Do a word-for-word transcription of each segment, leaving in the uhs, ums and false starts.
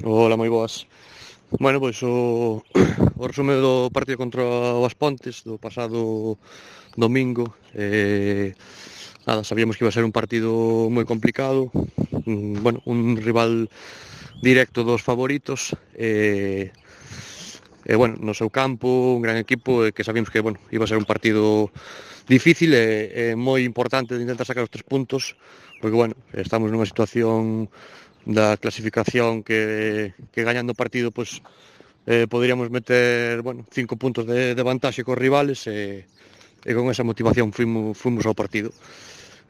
Ola, moi boas. Bueno, pois o, o resume do partido contra o As Pontes do pasado domingo. eh, Nada, sabíamos que iba a ser un partido moi complicado, un, bueno, un rival directo dos favoritos, e, e bueno, no seu campo, un gran equipo, e que sabíamos que, bueno, iba a ser un partido difícil e, e moi importante de intentar sacar os tres puntos, porque, bueno, estamos nunha situación da clasificación que, que gañando o partido, pois, eh, poderíamos meter, bueno, cinco puntos de, de vantaxe cos rivales, e, e con esa motivación fuimos, fuimos ao partido.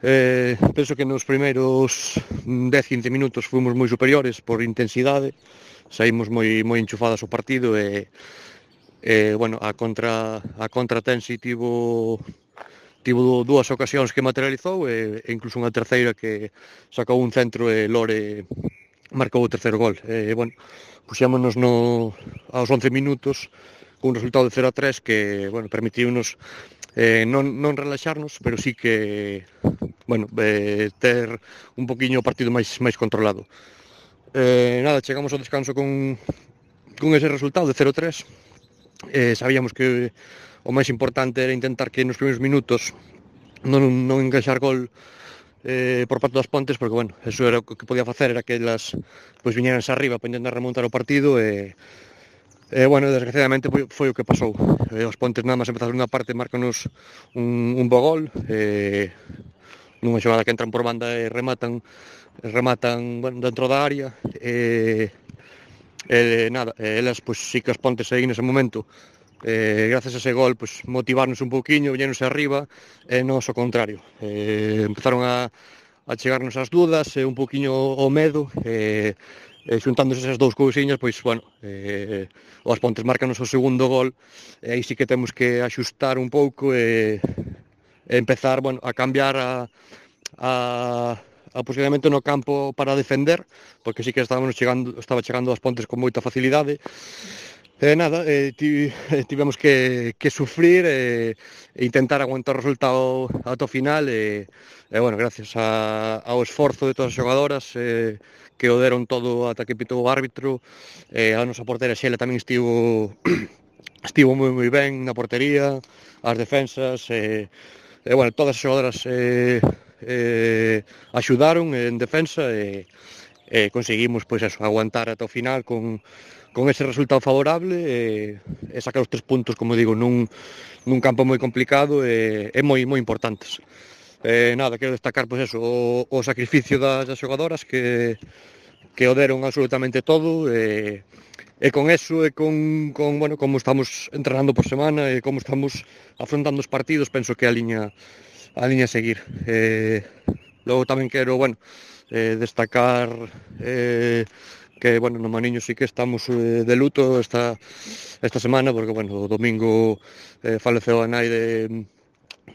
Eh, penso que nos primeiros dez a quince minutos fomos moi superiores por intensidade, saímos moi moi enchufadas ao partido, e, e bueno, a contra a contra Tensi tivo tivo dúas ocasións que materializou, e, e incluso unha terceira que sacou un centro e Lore marcou o terceiro gol. E, bueno, puxémonos no, aos once minutos cun resultado de cero a tres que, bueno, permitiunos eh, non, non relaxarnos, pero sí que, bueno, eh, ter un poquinho o partido máis máis controlado. Eh, nada, chegamos ao descanso con, con ese resultado de cero a tres. Eh, sabíamos que o máis importante era intentar que nos primeiros minutos non, non encaixar gol eh, por parte das Pontes, porque, bueno, eso era o que podía facer, era que elas pois viñeranse arriba para intentar remontar o partido, e E, bueno, desgraciadamente foi, foi o que pasou. Eh, os Pontes nada máis empezaron unha parte, marcanos un, un bo gol, eh, nunha xogada que entran por banda e rematan, rematan bueno, dentro da área, e, e nada, e elas, pois, sí que as Pontes aí nese momento, eh, gracias a ese gol, pois, motivarnos un pouquiño, viñeronse arriba, e nos o contrario. Eh, empezaron a, a chegarnos as dudas, e un pouquiño o medo, e, e xuntándose esas dous cousiñas, pois, bueno, eh, os Pontes marcanos o segundo gol, e aí sí que temos que axustar un pouco, e, e empezar, bueno, a cambiar a, a, a posicionamento no campo para defender, porque sí que estábamos chegando, estaba chegando as Pontes con moita facilidade. E nada, eh, tivemos que, que sufrir e, e intentar aguantar o resultado ata o final, e, e bueno, gracias a, ao esforzo de todas as xogadoras, eh, que o deron todo ata que pitou o árbitro, e a nosa portera Xela tamén estivo estivo moi moi ben na portería, as defensas, e, e bueno, todas as xogadoras eh, eh, axudaron en defensa, e, e conseguimos, pois eso, aguantar ata o final con con ese resultado favorable, e, e sacar os tres puntos, como digo, nun, nun campo moi complicado, e, e moi moi importantes. Eh, nada, quero destacar, pois eso, o, o sacrificio das, das xogadoras que, que o deron absolutamente todo, e, e con eso, e con, con, bueno, como estamos entrenando por semana, e como estamos afrontando os partidos, penso que a liña a liña a seguir. Eh, logo tamén quero, bueno, eh, destacar eh, que, bueno, no Maniño sí que estamos eh, de luto esta, esta semana, porque, bueno, o domingo eh, faleceu a nai de,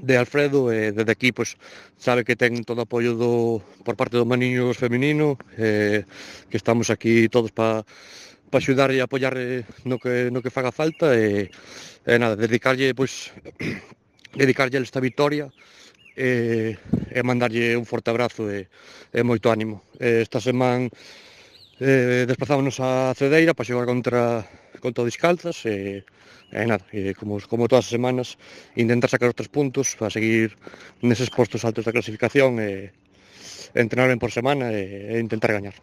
de Alfredo, e desde aquí, pois, sabe que ten todo o apoio do, por parte do Maniños feminino, eh, que estamos aquí todos para pa axudarlle e apoiar no que, no que faga falta, e, e nada, dedicarlle, pois, dedicarlle esta victoria, e, e mandarlle un forte abrazo, e, e moito ánimo. E esta semana eh, desplazámonos a Cedeira para xogar contra, contra o Discalzas, e, e nada, e como, como todas as semanas, intentar sacar os tres puntos para seguir neses postos altos da clasificación, e, e entrenar ben por semana, e, e intentar gañar.